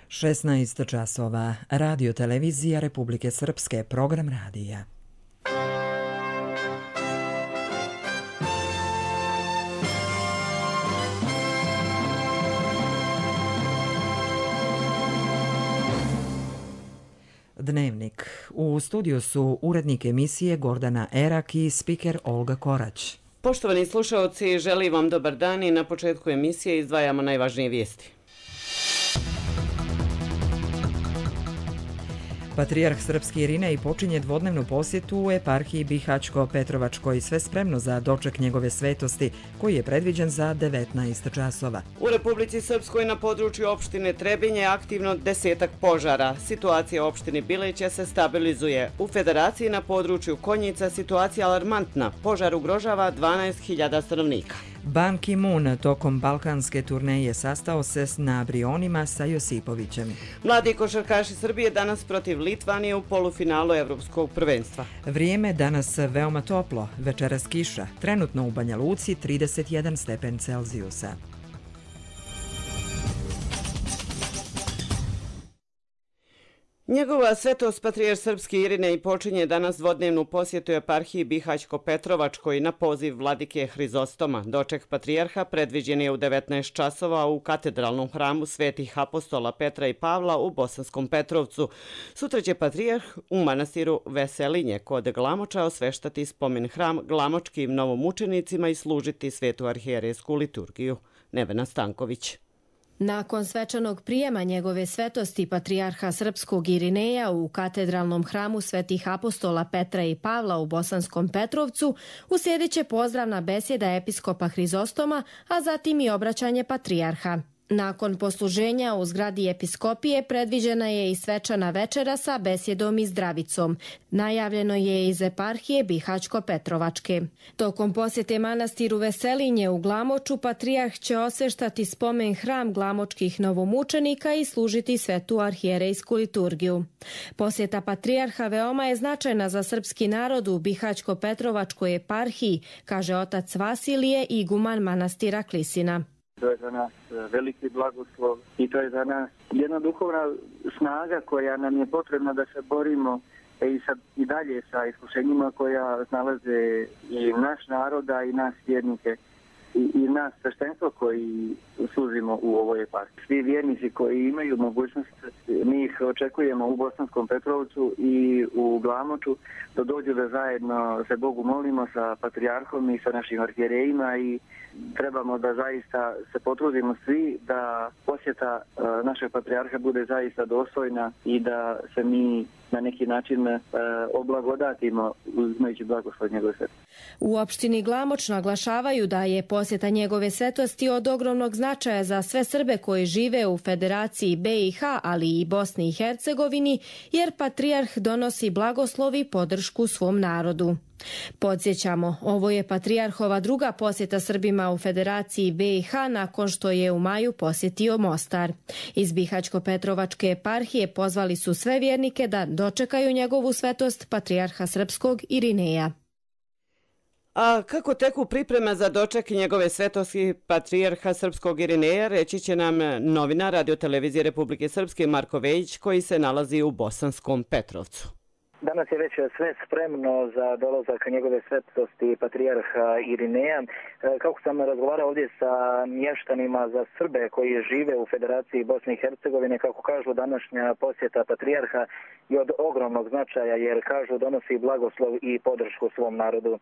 16 časova. Radio televizija Republike Srpske, program radija. Dnevnik. U studiju su urednik emisije Gordana Erak i spiker Olga Korać. Poštovani slušaoci, želim vam dobar dan i na početku emisije izdvajamo najvažnije vijesti. Patrijarh srpski Irinej počinje dvodnevnu posjetu u eparhiji Bihaćko-Petrovačkoj, sve spremno za doček njegove svetosti, koji je predviđen za 19 časova. U Republici Srpskoj na području opštine Trebinje aktivno 10 požara. Situacija u opštini Bileća se stabilizuje. U Federaciji na području Konjica situacija alarmantna. Požar ugrožava 12.000 stanovnika. Ban Ki-moon tokom balkanske turneje sastao se na Brionima sa Josipovićem. Mladi košarkaši Srbije danas protiv Litvanije u polufinalu Evropskog prvenstva. Vrijeme danas veoma toplo, večeras kiša, trenutno u Banja Luci 31 stepen Celzijusa. Njegova svetost patrijarh srpski Irinej počinje danas dvodnevnu posjetu eparhiji Bihaćko-Petrovačkoj na poziv vladike Hrizostoma. Doček patrijarha predviđen je u 19 časova u katedralnom hramu Svetih apostola Petra i Pavla u Bosanskom Petrovcu. Sutra će patrijarh u manastiru Veselinje kod Glamoča osveštati spomen hram glamočkim novomučenicima i služiti svetu arhijerejsku liturgiju. Nevena Stanković. Nakon svečanog prijema njegove svetosti patrijarha srpskog Irineja u katedralnom hramu Svetih apostola Petra i Pavla u Bosanskom Petrovcu uslijedit će pozdravna besjeda episkopa Hrizostoma, a zatim i obraćanje patrijarha. Nakon posluženja u zgradi episkopije predviđena je i svečana večera sa besjedom i zdravicom. Najavljeno je iz eparhije Bihaćko-Petrovačke. Tokom posjete manastiru Veselinje u Glamoču patrijarh će osveštati spomen hram glamočkih novomučenika i služiti svetu arhijerejsku liturgiju. Posjeta patrijarha veoma je značajna za srpski narod u Bihaćko-Petrovačkoj eparhiji, kaže otac Vasilije, iguman manastira Klisina. To je za nas veliki blagoslov i to je za nas jedna duhovna snaga koja nam je potrebna da se borimo i dalje sa iskušenjima koja nalaze i naš naroda i nas vjernike i nas sveštenstvo koji služimo u ovoj eparhiji. Svi vjernici koji imaju mogućnost, mi ih očekujemo u Bosanskom Petrovcu i u Glamoču da dođu da zajedno se Bogu molimo sa patrijarhom i sa našim arhijerejima i trebamo da zaista se potrudimo svi da posjeta našeg patrijarha bude zaista dostojna i da se mi na neki način oblagodatimo uzimajući blagoslov njegove svetosti. U opštini Glamoč naglašavaju da je posjeta njegove svetosti od ogromnog značaja za sve Srbe koji žive u Federaciji BiH, ali i Bosni i Hercegovini, jer patrijarh donosi blagoslov i podršku svom narodu. Podsjećamo, ovo je patrijarhova druga posjeta Srbima u Federaciji BiH nakon što je u maju posjetio Mostar. Iz Bihaćko-Petrovačke eparhije pozvali su sve vjernike da dočekaju njegovu svetost patrijarha srpskog Irineja. A kako teku pripreme za doček njegove svetosti patrijarha srpskog Irineja, reći će nam novinar Radio televizije Republike Srpske Marko Vejić koji se nalazi u Bosanskom Petrovcu. Danas je već sve spremno za dolazak njegove svetosti patrijarha Irineja. Kako sam razgovarao ovdje sa mještanima za Srbe koji žive u Federaciji Bosne i Hercegovine, kako kažu, današnja posjeta patrijarha je od ogromnog značaja jer kažu donosi blagoslov i podršku svom narodu.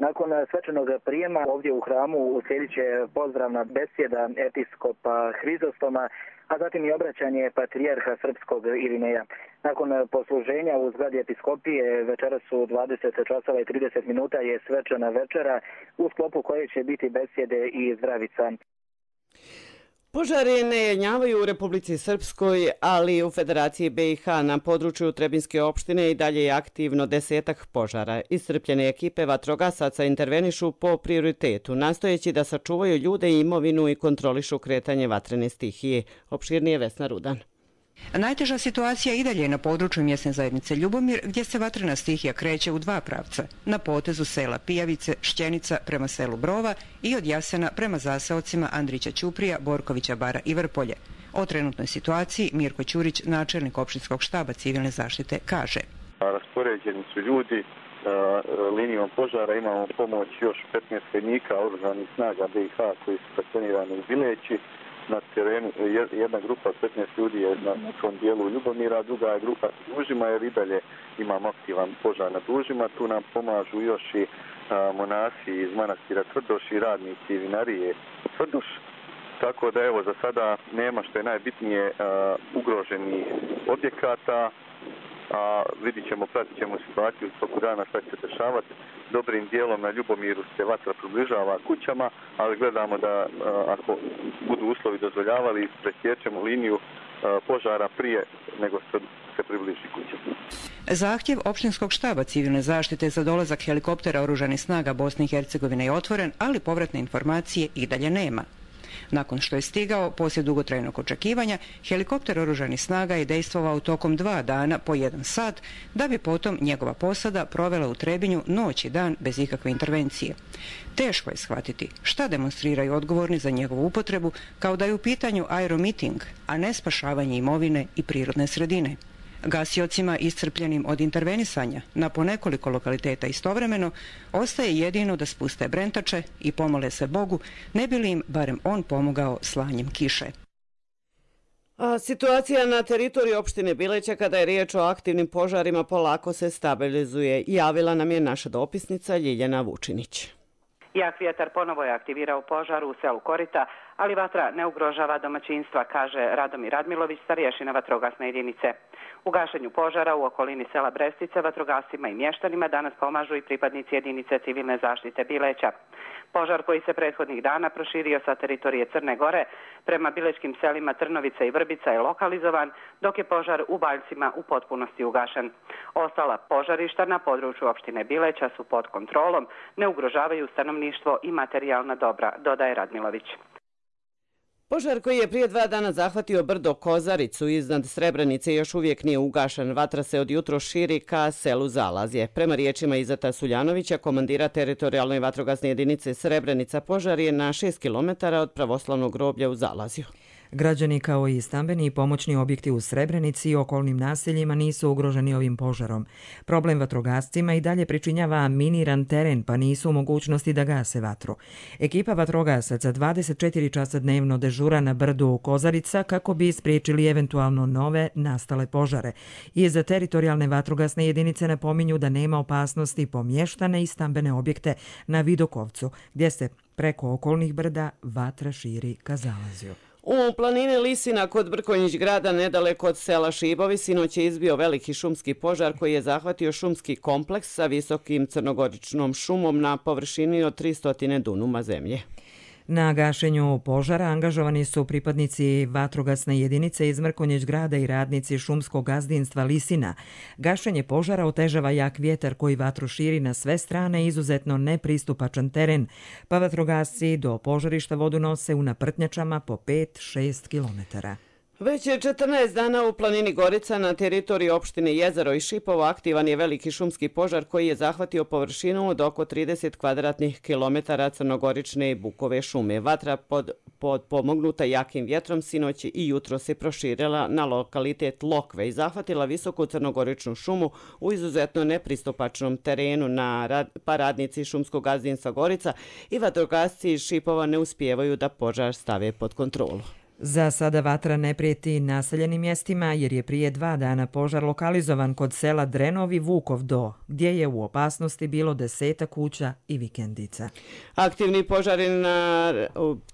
Nakon svečanog prijema ovdje u hramu uslijedit će pozdravna besjeda episkopa Hrizostoma, a zatim i obraćanje patrijarha srpskog Irineja. Nakon posluženja u zgradi episkopije večeras su 20 časova i 30 minuta je svečana večera u sklopu koje će biti besjede i zdravica. Požari ne jenjavaju u Republici Srpskoj, ali i u Federaciji BiH na području Trebinske opštine i dalje je aktivno 10 požara. Iscrpljene ekipe vatrogasaca intervenišu po prioritetu, nastojeći da sačuvaju ljude i imovinu i kontrolišu kretanje vatrene stihije. Opširnije Vesna Rudan. Najteža situacija i dalje je na području mjesne zajednice Ljubomir, gdje se vatrena stihija kreće u dva pravca. Na potezu sela Pijavice, Šćenica prema selu Brova i od Jasena prema zaseocima Andrića Ćuprija, Borkovića Bara i Vrpolje. O trenutnoj situaciji Mirko Ćurić, načelnik opštinskog štaba civilne zaštite, kaže. Raspoređeni su ljudi linijom požara, imamo pomoć još 15 vojnika oružanih snaga BiH koji su stacionirani u Bileći. Na terenu jedna grupa 15 ljudi je na tom dijelu Ljubomira, druga je grupa na Dužima jer i dalje imamo aktivan požar na Dužima. Tu nam pomažu još i monasi iz manastira Tvrdoš i radnici vinarije Tvrdoš. Tako da evo za sada nema, što je najbitnije, ugroženih objekata. A pratit ćemo situaciju u toku dana šta će se dešavati. Dobrim dijelom na Ljubomiru se vatra približava kućama, ali gledamo da ako budu uslovi dozvoljavali, presjećemo liniju požara prije nego se približi kućama. Zahtjev opštinskog štaba civilne zaštite za dolazak helikoptera oružanih snaga Bosne i Hercegovine je otvoren, ali povratne informacije i dalje nema. Nakon što je stigao, poslije dugotrajnog očekivanja, helikopter oružanih snaga je dejstvovao tokom 2 dana po 1 sat, da bi potom njegova posada provela u Trebinju noć i dan bez ikakve intervencije. Teško je shvatiti šta demonstriraju odgovorni za njegovu upotrebu, kao da je u pitanju aeromiting, a ne spašavanje imovine i prirodne sredine. Gasiocima iscrpljenim od intervenisanja na po nekoliko lokaliteta istovremeno ostaje jedino da spuste brentače i pomole se Bogu, ne bi li im barem on pomogao slanjem kiše. A situacija na teritoriji opštine Bileća kada je riječ o aktivnim požarima polako se stabilizuje. Javila nam je naša dopisnica Ljiljana Vučinić. Jak vjetar ponovo je aktivirao požar u selu Korita, ali vatra ne ugrožava domaćinstva, kaže Radomir Radmilović, starješina vatrogasne jedinice. U gašenju požara u okolini sela Brestice vatrogascima i mještanima danas pomažu i pripadnici jedinice civilne zaštite Bileća. Požar koji se prethodnih dana proširio sa teritorije Crne Gore prema bilečkim selima Trnovica i Vrbica je lokalizovan, dok je požar u Baljcima u potpunosti ugašen. Ostala požarišta na području opštine Bileća su pod kontrolom, ne ugrožavaju stanovništvo i materijalna dobra, dodaje Radmilović. Požar koji je prije 2 dana zahvatio brdo Kozaricu iznad Srebrenice još uvijek nije ugašen. Vatra se od jutro širi ka selu Zalazje. Prema riječima Izeta Suljanovića, komandira teritorijalne vatrogasne jedinice Srebrenica, požar je na 6 km od pravoslavnog groblja u Zalazju. Građani kao i stambeni i pomoćni objekti u Srebrenici i okolnim naseljima nisu ugroženi ovim požarom. Problem vatrogascima i dalje pričinjava miniran teren, pa nisu u mogućnosti da gase vatru. Ekipa vatrogasaca 24 časa dnevno dežura na brdu Kozarica kako bi spriječili eventualno nove nastale požare. I za teritorijalne vatrogasne jedinice napominju da nema opasnosti po mještane i stambene objekte na Vidokovcu, gdje se preko okolnih brda vatra širi ka Zalazju. U planini Lisina kod Brkonjić grada nedaleko od sela Šibovi sinoć je izbio veliki šumski požar koji je zahvatio šumski kompleks sa visokim crnogoričnom šumom na površini od 300 dunuma zemlje. Na gašenju požara angažovani su pripadnici vatrogasne jedinice iz Mrkonjić grada i radnici šumskog gazdinstva Lisina. Gašenje požara otežava jak vjetar koji vatru širi na sve strane, izuzetno nepristupačan teren, pa vatrogasci do požarišta vodu nose u naprtnjačama po 5-6 kilometara. Već je 14 dana u planini Gorica na teritoriji opštine Jezero i Šipovo aktivan je veliki šumski požar koji je zahvatio površinu od oko 30 kvadratnih kilometara crnogorične bukove šume. Vatra pomognuta jakim vjetrom sinoć i jutro se proširila na lokalitet Lokve i zahvatila visoku crnogoričnu šumu u izuzetno nepristupačnom terenu, pa radnici šumskog gazdinstva Gorica i vatrogasci iz Šipova ne uspijevaju da požar stave pod kontrolu. Za sada vatra ne prijeti naseljenim mjestima jer je prije 2 dana požar lokalizovan kod sela Drenov i Vukov Do, gdje je u opasnosti bilo 10 kuća i vikendica. Aktivni požari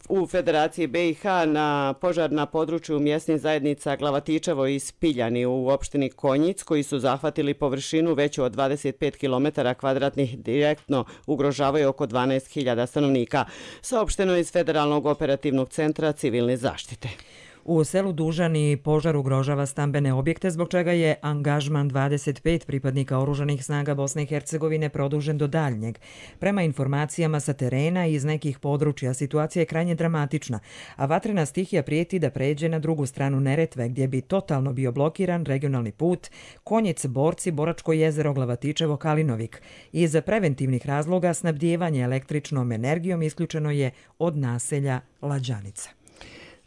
u Federaciji BiH na požar na području mjesnih zajednica Glavatičevo i Spiljani u opštini Konjic koji su zahvatili površinu veću od 25 km kvadratnih direktno ugrožavaju oko 12.000 stanovnika, saopšteno iz Federalnog operativnog centra civilne zaštite. U selu Dužani požar ugrožava stambene objekte, zbog čega je angažman 25 pripadnika oružanih snaga Bosne i Hercegovine produžen do daljnjeg. Prema informacijama sa terena i iz nekih područja situacija je krajnje dramatična, a vatrena stihija prijeti da pređe na drugu stranu Neretve, gdje bi totalno bio blokiran regionalni put Konjic-Borci, Boračko jezero, Glavatičevo, Kalinovik. Iz preventivnih razloga snabdijevanje električnom energijom isključeno je od naselja Lađanica.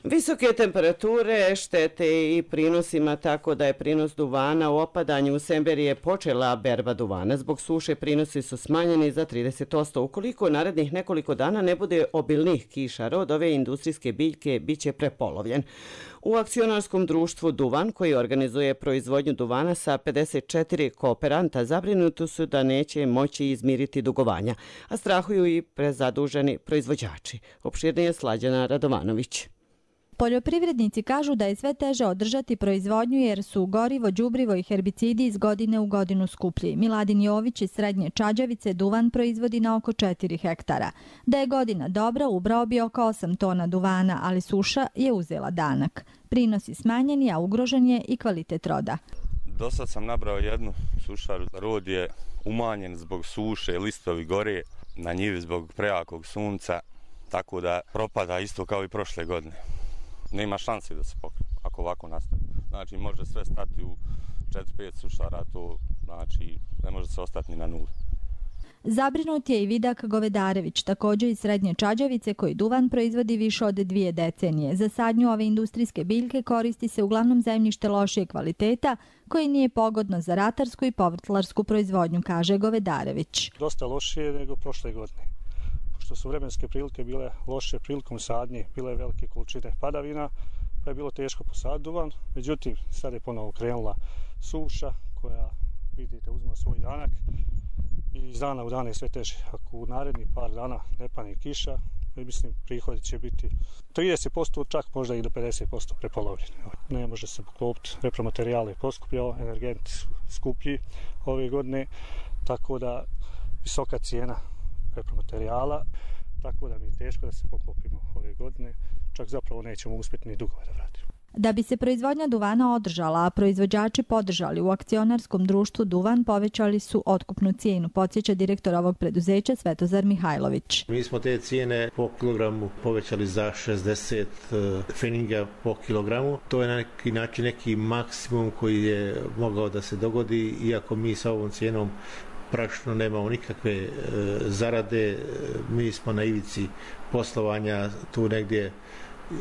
Visoke temperature štete i prinosima, tako da je prinos duvana u opadanju. U Semberiji je počela berba duvana. Zbog suše prinosi su smanjeni za 30%. Ukoliko narednih nekoliko dana ne bude obilnih kiša, rod ove industrijske biljke biće prepolovljen. U akcionarskom društvu Duvan, koji organizuje proizvodnju duvana sa 54 kooperanta, zabrinuti su da neće moći izmiriti dugovanja, a strahuju i prezaduženi proizvođači. Opširnije Slađana Radovanović. Poljoprivrednici kažu da je sve teže održati proizvodnju jer su gorivo, đubrivo i herbicidi iz godine u godinu skuplji. Miladin Jović iz Srednje Čađavice duvan proizvodi na oko 4 hektara. Da je godina dobra, ubrao bi oko 8 tona duvana, ali suša je uzela danak. Prinosi smanjeni, a ugrožen je i kvalitet roda. Do sad sam nabrao jednu sušaru. Rod je umanjen zbog suše, listovi gore, na njivi zbog prejakog sunca, tako da propada isto kao i prošle godine. Nema šanse da se pokrije ako ovako nastavi. Znači može sve stati u 4-5 sušara, to znači ne može se ostati ni na nuli. Zabrinut je i Vidak Govedarević, također iz Srednje Čađavice, koji duvan proizvodi više od 2 decenije. Za sadnju ove industrijske biljke koristi se uglavnom zemljište lošije kvaliteta, koji nije pogodno za ratarsku i povrtlarsku proizvodnju, kaže Govedarević. Dosta lošije nego prošle godine. Što su vremenske prilike bile loše prilikom sadnje, bile velike količine padavina, pa je bilo teško posaditi duvan. Međutim, sad je ponovo krenula suša koja, vidite, uzma svoj danak i iz dana u dan je sve teže. Ako u narednih par dana ne pane kiša, mislim, prihodi će biti 30%, čak možda i do 50% prepolovljeni. Ne može se poklopiti, repromaterijal je poskupljao, energenti su skuplji ove godine, tako da visoka cijena repromaterijala, tako da mi je teško da se poklopimo ove godine, čak zapravo nećemo uspjeti ni dugove da vratimo. Da bi se proizvodnja duvana održala, a proizvođači podržali, u akcionarskom društvu Duvan povećali su otkupnu cijenu, podsjeća direktor ovog preduzeća Svetozar Mihajlović. Mi smo te cijene po kilogramu povećali za 60 feninga po kilogramu. To je na neki način neki maksimum koji je mogao da se dogodi, iako mi sa ovom cijenom praktično nemamo nikakve zarade, mi smo na ivici poslovanja tu negdje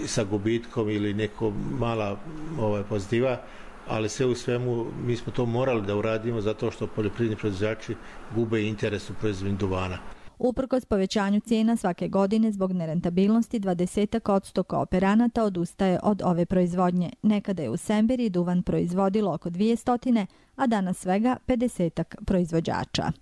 sa gubitkom ili neko mala pozitiva, ali sve u svemu mi smo to morali da uradimo zato što poljoprivredni proizvođači gube interes u proizvodnji duvana. Uprkos povećanju cijena svake godine zbog nerentabilnosti, 20% kooperanata odustaje od ove proizvodnje. Nekada je u Semberiji duvan proizvodilo oko 200, a danas svega 50 proizvođača.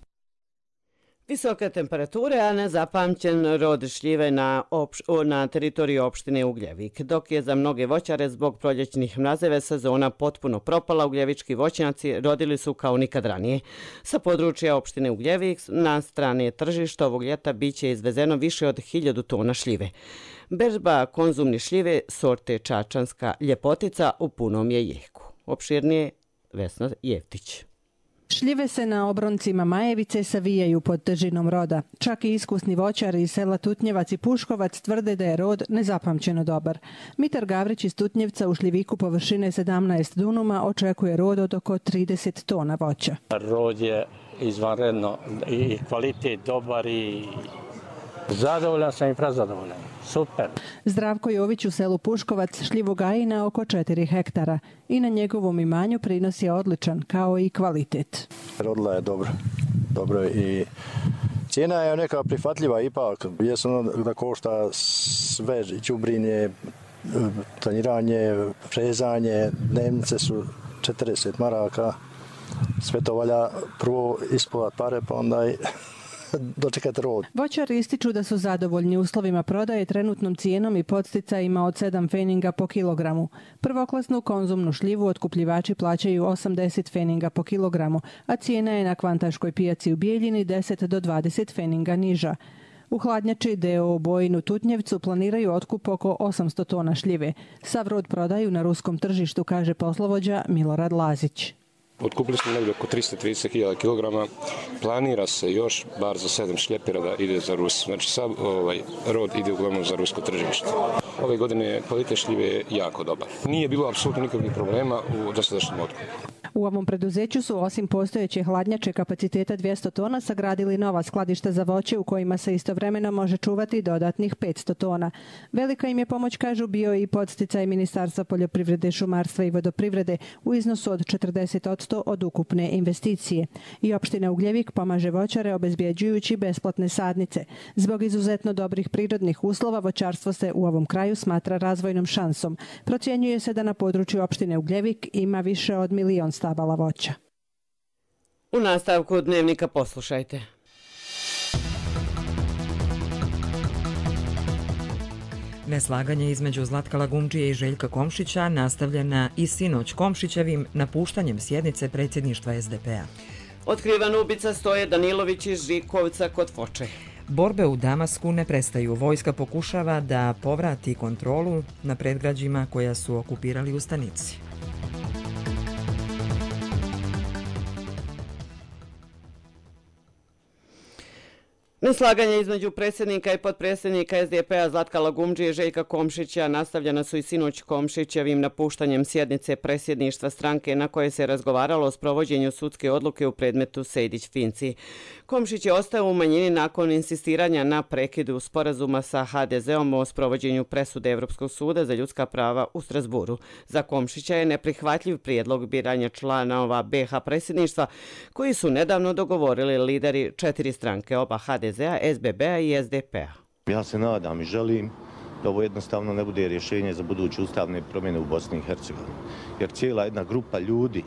Visoke temperature, a nezapamćen rod šljive na teritoriji opštine Ugljevik. Dok je za mnoge voćare zbog proljećnih mrazeve sezona potpuno propala, ugljevički voćnjaci rodili su kao nikad ranije. Sa područja opštine Ugljevik na strane tržišta ovog ljeta biće izvezeno više od 1000 tona šljive. Berba konzumne šljive sorte Čačanska ljepotica u punom je jeku. Opširnije Vesna Jeftić. Šljive se na obroncima Majevice savijaju pod težinom roda. Čak i iskusni voćari iz sela Tutnjevac i Puškovac tvrde da je rod nezapamćeno dobar. Mitar Gavrić iz Tutnjevca u šljiviku površine 17 dunuma očekuje rod od oko 30 tona voća. Rod je izvanredno i kvalitet dobar i zadovoljan sam i prezadovoljan. Super. Zdravko Jović u selu Puškovac šljivu gaji na oko 4 hektara i na njegovom imanju prinos je odličan, kao i kvalitet. Rodila je dobro i cijena je neka prihvatljiva ipak. Jesu da košta sve, đubrinje, tanjiranje, frezanje, dnevnice su 40 maraka. Sve to valja prvo ispovat pare, pa onda i dočekati rod. Voćari ističu da su zadovoljni uslovima prodaje, trenutnom cijenom i podsticajima od 7 feninga po kilogramu. Prvoklasnu konzumnu šljivu otkupljivači plaćaju 80 feninga po kilogramu, a cijena je na kvantaškoj pijaci u Bijeljini 10 do 20 feninga niža. U hladnjači d.o.o. Bojinu Tutnjevcu planiraju otkup oko 800 tona šljive. Sav rod prodaju na ruskom tržištu, kaže poslovođa Milorad Lazić. Otkupili smo negdje oko 330.000 kg. Planira se još bar za 7 šljepera da ide za Rus. Znači sav rod ide uglavnom za rusko tržište. Ove godine kvalitet šljive je jako dobar. Nije bilo apsolutno nikakvih problema u dosadašnjem otkupu. U ovom preduzeću su osim postojeće hladnjače kapaciteta 200 tona sagradili nova skladišta za voće u kojima se istovremeno može čuvati dodatnih 500 tona. Velika im je pomoć, kažu, bio i podsticaj Ministarstva poljoprivrede, šumarstva i vodoprivrede u iznosu od 40% od ukupne investicije. I opština Ugljevik pomaže voćare obezbjeđujući besplatne sadnice. Zbog izuzetno dobrih prirodnih uslova voćarstvo se u ovom kraju smatra razvojnom šansom. Procjenjuje se da na području opštine Ugljevik ima više od 1 milion stabala voća. U nastavku Dnevnika poslušajte. Neslaganje između Zlatka Lagumdžije i Željka Komšića nastavljena i sinoć Komšićevim napuštanjem sjednice predsjedništva SDP-a. Otkrivan ubica Stoje Danilović iz Žikovca kod Foče. Borbe u Damasku ne prestaju. Vojska pokušava da povrati kontrolu na predgrađima koja su okupirali ustanici. Neslaganje između predsjednika i potpredsjednika SDP-a Zlatka Lagumdžije i Željka Komšića nastavljena su i sinoć Komšićevim napuštanjem sjednice predsjedništva stranke na koje se razgovaralo o sprovođenju sudske odluke u predmetu Sejdić-Finci. Komšić je ostao u manjini nakon insistiranja na prekidu sporazuma sa HDZ-om o sprovođenju presude Evropskog suda za ljudska prava u Strasburu. Za Komšića je neprihvatljiv prijedlog biranja članova BiH predsjedništva koji su nedavno dogovorili lideri 4 stranke, oba HDZ-a, SBB-a i SDP-a. Ja se nadam i želim da ovo jednostavno ne bude rješenje za buduće ustavne promjene u Bosni i Hercegovini. Jer cijela jedna grupa ljudi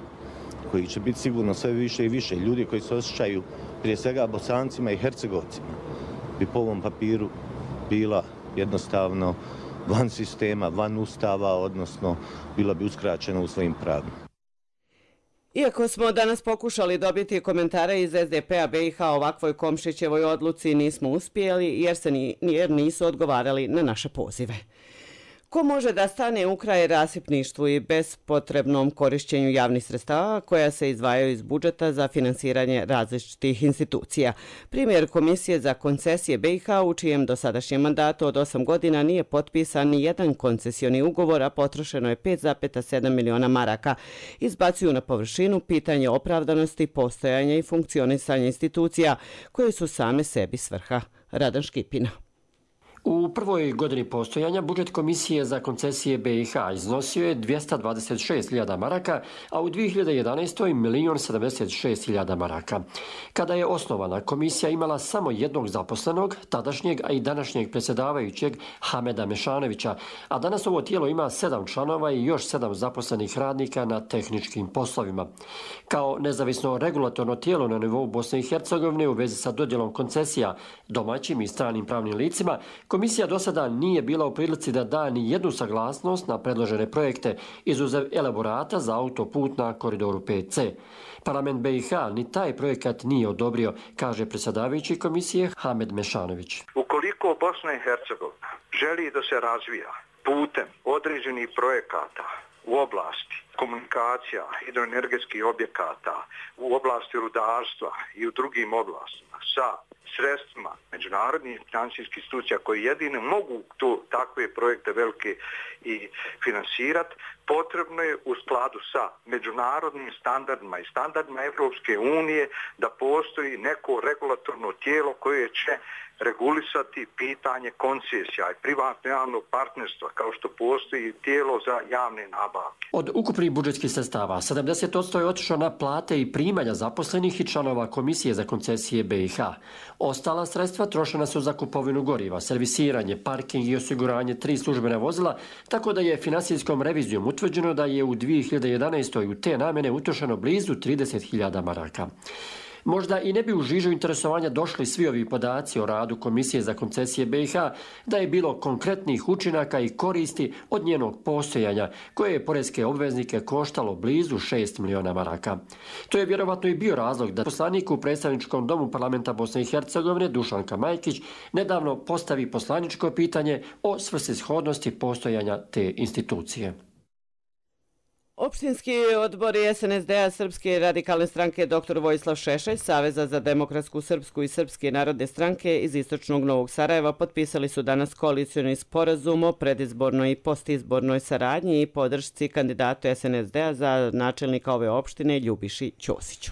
koji će biti sigurno sve više i više, ljudi koji se osjećaju prije svega Bosancima i Hercegovcima, bi po ovom papiru bila jednostavno van sistema, van ustava, odnosno bila bi uskraćena u svojim pravima. Iako smo danas pokušali dobiti komentare iz SDP-a BiH o ovakvoj Komšićevoj odluci, nismo uspjeli jer nisu odgovarali na naše pozive. Ko može da stane u kraj rasipništvu i bespotrebnom korišćenju javnih sredstava koja se izdvajaju iz budžeta za finansiranje različitih institucija? Primjer Komisije za koncesije BiH, u čijem dosadašnjem mandatu od 8 godina nije potpisan ni jedan koncesioni ugovor, a potrošeno je 5,7 miliona maraka, izbacuju na površinu pitanje opravdanosti, postojanja i funkcionisanja institucija koje su same sebi svrha. Radan Škipina. U prvoj godini postojanja budžet Komisije za koncesije BiH iznosio je 226.000 maraka, a u 2011. 1.076.000 maraka. Kada je osnovana, komisija imala samo jednog zaposlenog, tadašnjeg, a i današnjeg predsjedavajućeg Hameda Mešanovića, a danas ovo tijelo ima 7 članova i još 7 zaposlenih radnika na tehničkim poslovima. Kao nezavisno regulatorno tijelo na nivou Bosne i Hercegovine u vezi sa dodjelom koncesija domaćim i stranim pravnim licima, Komisija do sada nije bila u prilici da da ni jednu saglasnost na predložene projekte, izuzev elaborata za autoput na koridoru 5C. Parlament BiH ni taj projekat nije odobrio, kaže predsjedavajući komisije Hamed Mešanović. Ukoliko Bosna i Hercegovina želi da se razvija putem određenih projekata u oblasti komunikacija, hidroenergetskih objekata, u oblasti rudarstva i u drugim oblastima sa sredstvima međunarodnih financijskih institucija koji jedino mogu takve projekte velike i finansirati, potrebno je u skladu sa međunarodnim standardima i standardima Evropske unije da postoji neko regulatorno tijelo koje će regulisati pitanje koncesija i privatno-javnog partnerstva, kao što postoji tijelo za javne nabavke. Od ukupnih budžetskih sredstava 70% je otišlo na plate i primanja zaposlenih i članova Komisije za koncesije BiH. Ostala sredstva trošena su za kupovinu goriva, servisiranje, parking i osiguranje 3 službena vozila, tako da je finansijskom revizijom utvrđeno da je u 2011. u te namjene utrošeno blizu 30.000 maraka. Možda i ne bi u žižu interesovanja došli svi ovi podaci o radu Komisije za koncesije BiH da je bilo konkretnih učinaka i koristi od njenog postojanja, koje je poreske obveznike koštalo blizu 6 miliona maraka. To je vjerovatno i bio razlog da poslanik u predstavničkom domu parlamenta Bosne i Hercegovine Dušanka Majkić nedavno postavi poslaničko pitanje o svrsishodnosti postojanja te institucije. Opštinski odbori SNSD-a Srpske radikalne stranke dr. Vojislav Šešelj, Saveza za demokratsku srpsku i Srpske narodne stranke iz istočnog Novog Sarajeva potpisali su danas koalicioni sporazum o predizbornoj i postizbornoj saradnji i podršci kandidatu SNSD-a za načelnika ove opštine Ljubiši Ćosiću.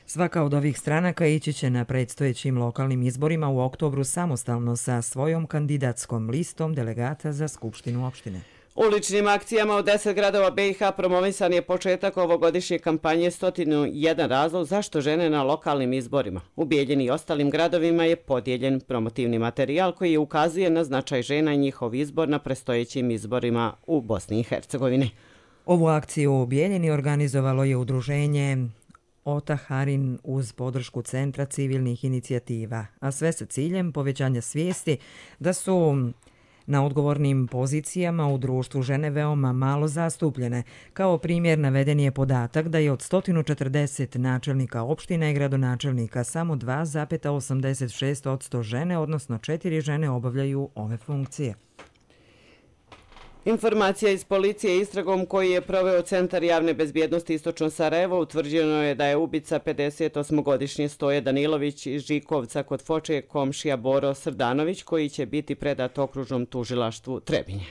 Svaka od ovih stranaka ići će na predstojećim lokalnim izborima u oktobru samostalno sa svojom kandidatskom listom delegata za Skupštinu opštine. Uličnim akcijama u 10 gradova BiH promovisan je početak ovogodišnje kampanje 101 razlog zašto žene na lokalnim izborima. U Bijeljini i ostalim gradovima je podijeljen promotivni materijal koji ukazuje na značaj žena i njihov izbor na predstojećim izborima u Bosni i Hercegovini. Ovu akciju u Bijeljini organizovalo je udruženje Otaharin uz podršku Centra civilnih inicijativa, a sve sa ciljem povećanja svijesti da su na odgovornim pozicijama u društvu žene veoma malo zastupljene. Kao primjer naveden je podatak da je od 140 načelnika opština i gradonačelnika samo 2,86% žene, odnosno 4 žene obavljaju ove funkcije. Informacija iz policije istragom koji je proveo Centar javne bezbjednosti Istočno Sarajevo utvrđeno je da je ubica 58-godišnji Stoje Danilović iz Žikovca kod Foče komšija Boro Srdanović koji će biti predat okružnom tužilaštvu Trebinje.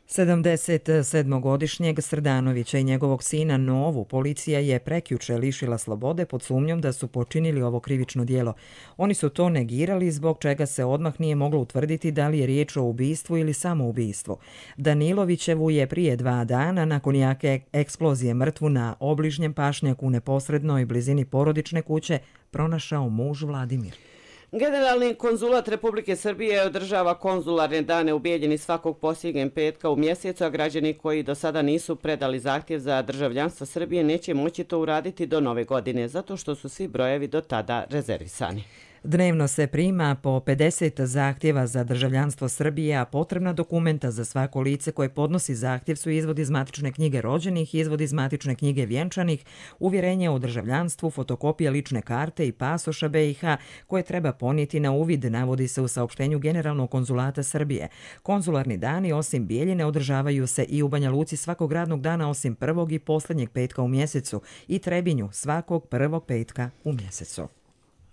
77-godišnjeg Srdanovića i njegovog sina Novu policija je prekjuče lišila slobode pod sumnjom da su počinili ovo krivično djelo. Oni su to negirali zbog čega se odmah nije moglo utvrditi da li je riječ o ubistvu ili samoubistvu. Danilovićevu je prije 2 dana nakon jake eksplozije mrtvu na obližnjem pašnjaku u neposrednoj blizini porodične kuće pronašao muž Vladimir. Generalni konzulat Republike Srbije održava konzularne dane u Bijeljini svakog posljednjeg petka u mjesecu, a građani koji do sada nisu predali zahtjev za državljanstvo Srbije neće moći to uraditi do nove godine, zato što su svi brojevi do tada rezervisani. Dnevno se prima po 50 zahtjeva za državljanstvo Srbije, a potrebna dokumenta za svako lice koje podnosi zahtjev su izvod iz matične knjige rođenih, izvod iz matične knjige vjenčanih, uvjerenje o državljanstvu, fotokopija lične karte i pasoša BiH koje treba ponijeti na uvid, navodi se u saopštenju Generalnog konzulata Srbije. Konzularni dani osim Bijeljine održavaju se i u Banja Luci svakog radnog dana osim prvog i posljednjeg petka u mjesecu i Trebinju svakog prvog petka u mjesecu.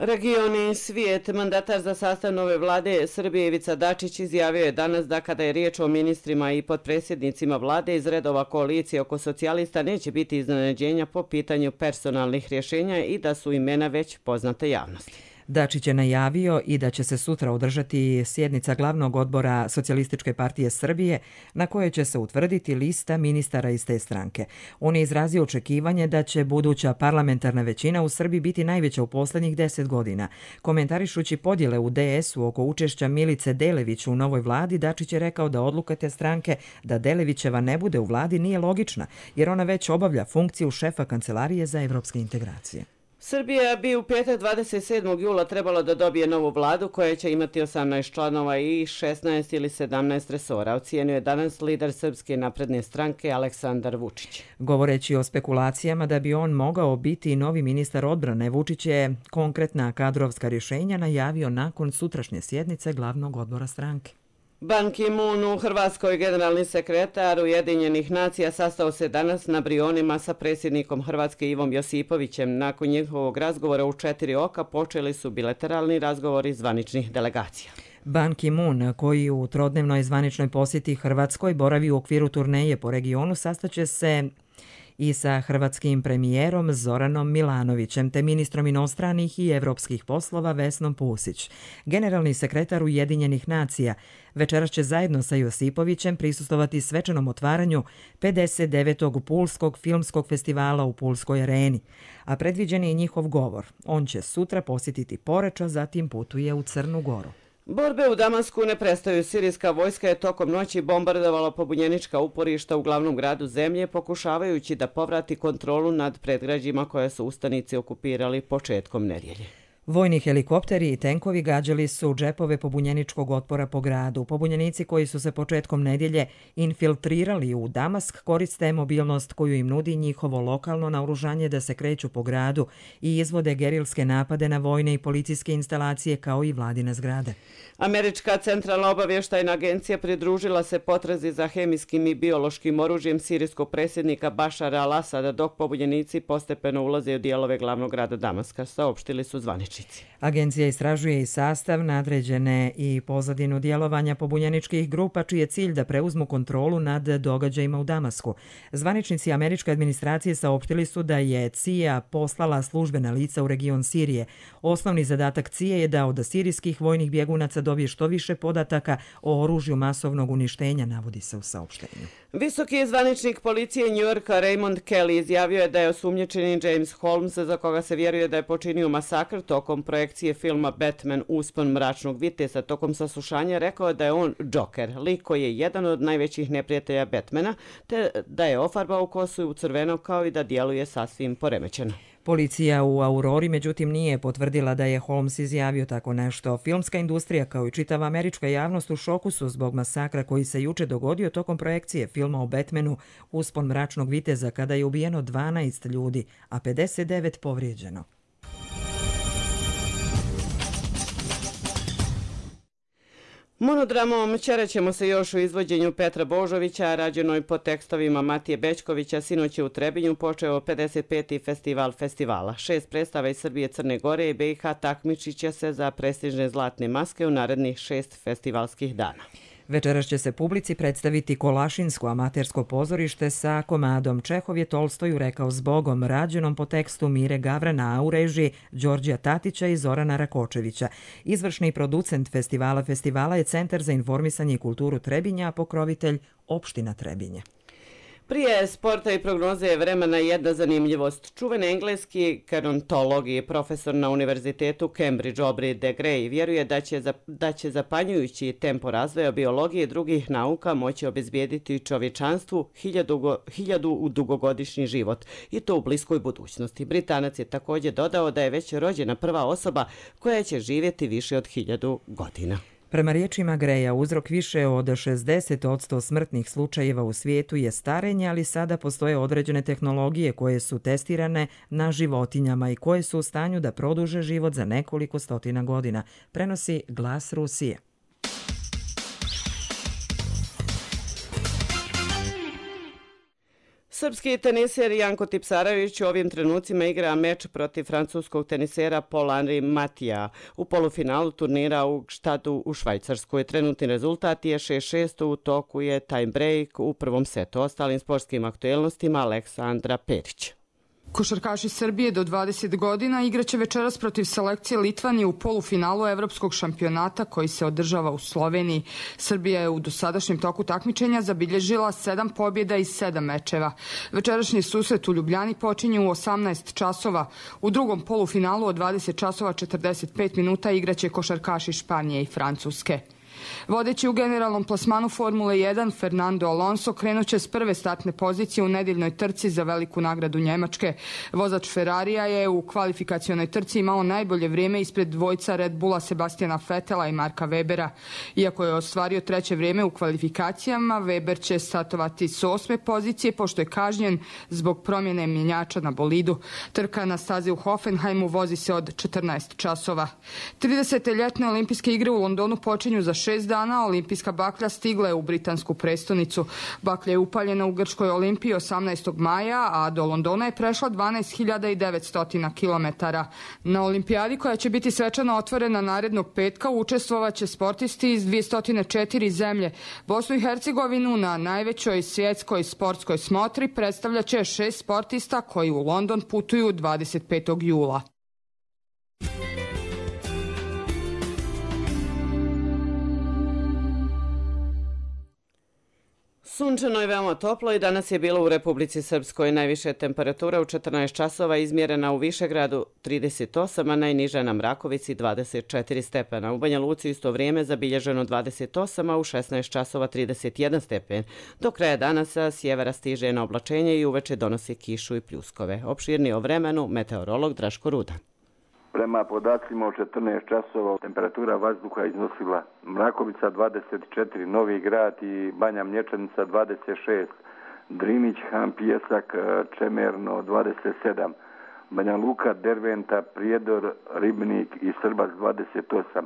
Regioni svijet, mandatar za sastav nove vlade Srbije Ivica Dačić izjavio je danas da kada je riječ o ministrima i potpredsjednicima vlade iz redova koalicije oko socijalista neće biti iznenađenja po pitanju personalnih rješenja i da su imena već poznate javnosti. Dačić je najavio i da će se sutra održati sjednica glavnog odbora Socijalističke partije Srbije na kojoj će se utvrditi lista ministara iz te stranke. On je izrazio očekivanje da će buduća parlamentarna većina u Srbiji biti najveća u posljednjih 10 godina. Komentarišući podjele u DS-u oko učešća Milice Delević u novoj vladi, Dačić je rekao da odluka te stranke da Delevićeva ne bude u vladi nije logična, jer ona već obavlja funkciju šefa Kancelarije za evropske integracije. Srbija bi u petak 27. jula trebalo da dobije novu vladu koja će imati 18 članova i 16 ili 17 resora. Ocijenio je danas lider Srpske napredne stranke Aleksandar Vučić. Govoreći o spekulacijama da bi on mogao biti novi ministar odbrane, Vučić je konkretna kadrovska rješenja najavio nakon sutrašnje sjednice glavnog odbora stranke. Ban Ki-moon u Hrvatskoj, generalni sekretar Ujedinjenih nacija, sastao se danas na Brionima sa predsjednikom Hrvatske Ivom Josipovićem. Nakon njihovog razgovora u 4 oka počeli su bilateralni razgovori zvaničnih delegacija. Ban Ki-moon, koji u trodnevnoj zvaničnoj posjeti Hrvatskoj boravi u okviru turneje po regionu, sastaće se i sa hrvatskim premijerom Zoranom Milanovićem te ministrom inostranih i evropskih poslova Vesnom Pusić. Generalni sekretar Ujedinjenih nacija večeras će zajedno sa Josipovićem prisustovati svečanom otvaranju 59. Pulskog filmskog festivala u Pulskoj areni, a predviđen je njihov govor. On će sutra posjetiti Poreč, a zatim putuje u Crnu Goru. Borbe u Damasku ne prestaju. Sirijska vojska je tokom noći bombardovala pobunjenička uporišta u glavnom gradu zemlje, pokušavajući da povrati kontrolu nad predgrađima koje su ustanici okupirali početkom nedjelje. Vojni helikopteri i tenkovi gađali su džepove pobunjeničkog otpora po gradu. Pobunjenici koji su se početkom nedjelje infiltrirali u Damask koriste mobilnost koju im nudi njihovo lokalno naoružanje da se kreću po gradu i izvode gerilske napade na vojne i policijske instalacije kao i vladine zgrade. Američka centralna obavještajna agencija pridružila se potrazi za hemijskim i biološkim oružjem sirijskog predsjednika Bašara al-Asada dok pobunjenici postepeno ulaze u dijelove glavnog grada Damaska, saopštili su zvaničnici. Agencija istražuje i sastav, nadređene i pozadinu djelovanja pobunjeničkih grupa čiji je cilj da preuzmu kontrolu nad događajima u Damasku. Zvaničnici američke administracije saopštili su da je CIA poslala službena lica u region Sirije. Osnovni zadatak CIA je da od sirijskih vojnih bjegunaca dobije što više podataka o oružju masovnog uništenja, navodi se u saopštenju. Visoki zvaničnik policije Njujorka Raymond Kelly izjavio je da je osumnjičeni James Holmes, za koga se vjeruje da je počinio masakr tokom projekcije filma Batman Uspon mračnog viteza. Tokom saslušanja rekao je da je on Joker, lik koji je jedan od najvećih neprijatelja Batmana, te da je ofarbao kosu u crveno kao i da djeluje sasvim poremećeno. Policija u Aurori međutim nije potvrdila da je Holmes izjavio tako nešto. Filmska industrija kao i čitava američka javnost u šoku su zbog masakra koji se juče dogodio tokom projekcije filma o Batmanu Uspon mračnog viteza kada je ubijeno 12 ljudi, a 59 povrijeđeno. Monodramom Ćerećemo se još u izvođenju Petra Božovića, rađenoj po tekstovima Matije Bećkovića, sinoć je u Trebinju počeo 55. festival festivala. 6 predstava iz Srbije, Crne Gore i BiH takmičit će se za prestižne zlatne maske u narednih 6 festivalskih dana. Večeras će se publici predstaviti Kolašinsko amatersko pozorište sa komadom Čehov je Tolstoju rekao zbogom, rađenom po tekstu Mire Gavrana, a u režiji Đorđija Tatića i Zorana Rakočevića. Izvršni producent festivala je Centar za informisanje i kulturu Trebinja, a pokrovitelj opština Trebinje. Prije sporta i prognoze vremena jedna zanimljivost. Čuveni engleski gerontolog i profesor na univerzitetu Cambridge Aubrey de Grey vjeruje da će zapanjujući tempo razvoja biologije i drugih nauka moći obezbijediti čovječanstvu 1000 dugogodišnji život i to u bliskoj budućnosti. Britanac je također dodao da je već rođena prva osoba koja će živjeti više od 1000 godina. Prema riječima Greja, uzrok više od 60% smrtnih slučajeva u svijetu je starenje, ali sada postoje određene tehnologije koje su testirane na životinjama i koje su u stanju da produže život za nekoliko stotina godina, prenosi Glas Rusije. Srpski teniser Janko Tipsarević u ovim trenucima igra meč protiv francuskog tenisera Paul-Henri Matija u polufinalu turnira u Gstadu u Švajcarskoj. Trenutni rezultat je 6-6, u toku je time break u prvom setu. Ostalim sportskim aktuelnostima Aleksandra Perić. Košarkaši Srbije do 20 godina igraće večeras protiv selekcije Litvanije u polufinalu evropskog šampionata koji se održava u Sloveniji. Srbija je u dosadašnjem toku takmičenja zabilježila 7 pobjeda i 7 mečeva. Večerašnji susret u Ljubljani počinje u 18 časova. U drugom polufinalu od 20 časova 45 minuta igraće košarkaši Španije i Francuske. Vodeći u generalnom plasmanu Formule 1, Fernando Alonso krenuće s prve startne pozicije u nedjeljnoj trci za veliku nagradu Njemačke. Vozač Ferrarija je u kvalifikacionoj trci imao najbolje vrijeme ispred dvojca Red Bulla Sebastiana Vettela i Marka Webera. Iako je ostvario treće vrijeme u kvalifikacijama, Weber će startovati s 8. pozicije pošto je kažnjen zbog promjene mjenjača na bolidu. Trka na stazi u Hoffenheimu vozi se od 14 časova. 30. ljetne olimpijske igre u Londonu počinju za 6 dana. Olimpijska baklja stigla je u britansku prestonicu. Baklja je upaljena u Grčkoj olimpiji 18. maja, a do Londona je prešla 12.900 km. Na olimpijadi koja će biti svečano otvorena narednog petka učestvovaće sportisti iz 204 zemlje. Bosnu i Hercegovinu na najvećoj svjetskoj sportskoj smotri predstavljaće 6 sportista koji u London putuju 25. jula. Sunčano i veoma toplo i danas je bilo u Republici Srpskoj. Najviše temperatura u 14 časova izmjerena u Višegradu 38, a najniža na Mrakovici 24 stepena. U Banja Luci isto vrijeme zabilježeno 28, a u 16 časova 31 stepen. Do kraja dana sa sjevera stiže na oblačenje i uveče donosi kišu i pljuskove. Opširnije o vremenu meteorolog Draško Rudan. Prema podacima od 14 časova temperatura vazduha iznosila Mrakovica 24, Novi Grad i Banja Mlječanica 26, Drinić, Han, Pijesak, Čemerno 27, Banja Luka, Derventa, Prijedor, Ribnik i Srbac 28,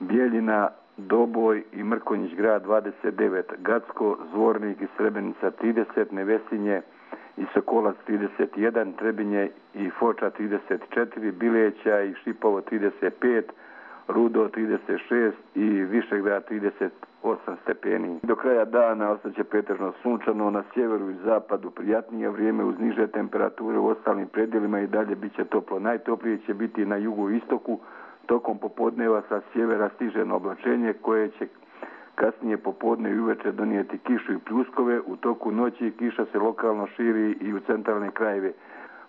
Bijeljina, Doboj i Mrkonjić grad 29, Gacko, Zvornik i Srebrenica 30, Nevesinje i Sokolac 31, Trebinje i Foča 34, Bileća i Šipovo 35, Rudo 36 i Višegrad 38 stepeni. Do kraja dana ostaće pretežno sunčano, na sjeveru i zapadu prijatnije vrijeme uz niže temperature, u ostalim predjelima i dalje bit će toplo. Najtoplije će biti na jugu i istoku, tokom popodneva sa sjevera stiže na oblačenje koje će kasnije popodne i uveče donijeti kišu i pljuskove. U toku noći kiša se lokalno širi i u centralne krajeve.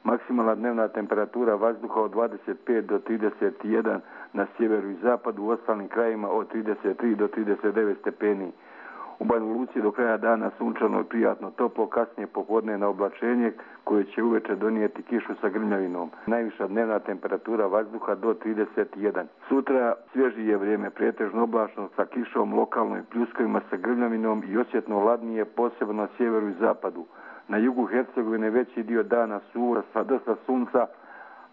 Maksimalna dnevna temperatura vazduha od 25 do 31 na sjeveru i zapadu, u ostalim krajima od 33 do 39 stepeni. U Banja Luci do kraja dana sunčano i prijatno toplo, kasnije popodne na oblačenje koje će uveče donijeti kišu sa grmljavinom. Najviša dnevna temperatura vazduha do 31. Sutra svježije vrijeme, pretežno oblačno sa kišom, lokalno i pljuskovima sa grmljavinom i osjetno ladnije, posebno na sjeveru i zapadu. Na jugu Hercegovine veći dio dana suvo sa dosta sunca,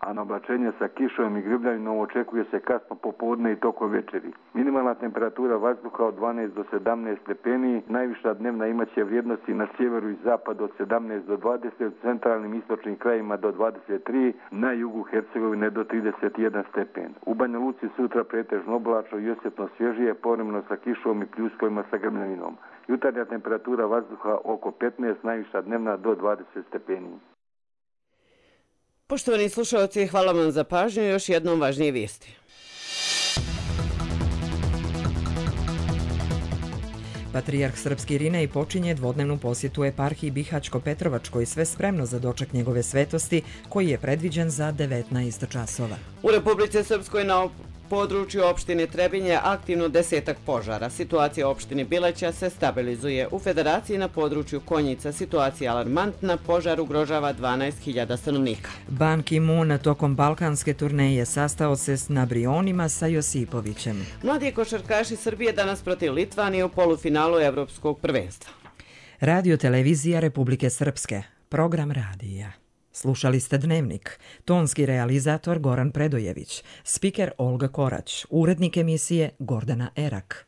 a na oblačenje sa kišom i grmljavinom očekuje se kasno popodne i tokom večeri. Minimalna temperatura vazduha od 12 do 17 stepeni, najviša dnevna imaće vrijednosti na sjeveru i zapadu od 17 do 20, u centralnim istočnim krajima do 23, na jugu Hercegovine do 31 stepen. U Banja Luci sutra pretežno oblačno i osjetno svježije, povremeno sa kišom i pljuskovima sa grmljavinom. Jutarnja temperatura vazduha oko 15, najviša dnevna do 20 stepeni. Poštovani slušalci, hvala vam za pažnju i još jednom važnije vijesti. Patrijarh srpski Irinej počinje dvodnevnu posjetu eparhiji Bihać-Petrovačkoj, sve spremno za doček njegove svetosti koji je predviđen za 19 časova. U Republici Srpskoj na području opštine Trebinje aktivno 10 požara. Situacija u opštini Bileća se stabilizuje. U Federaciji na području Konjica situacija alarmantna, požar ugrožava 12.000 stanovnika. Ban Ki-moon tokom balkanske turneje sastao se s Nabrionima sa Josipovićem. Mladi košarkaši Srbije danas protiv Litvanije u polufinalu Evropskog prvenstva. Radio televizija Republike Srpske. Program radija. Slušali ste Dnevnik. Tonski realizator Goran Predojević. Spiker Olga Korać. Urednik emisije Gordana Erak.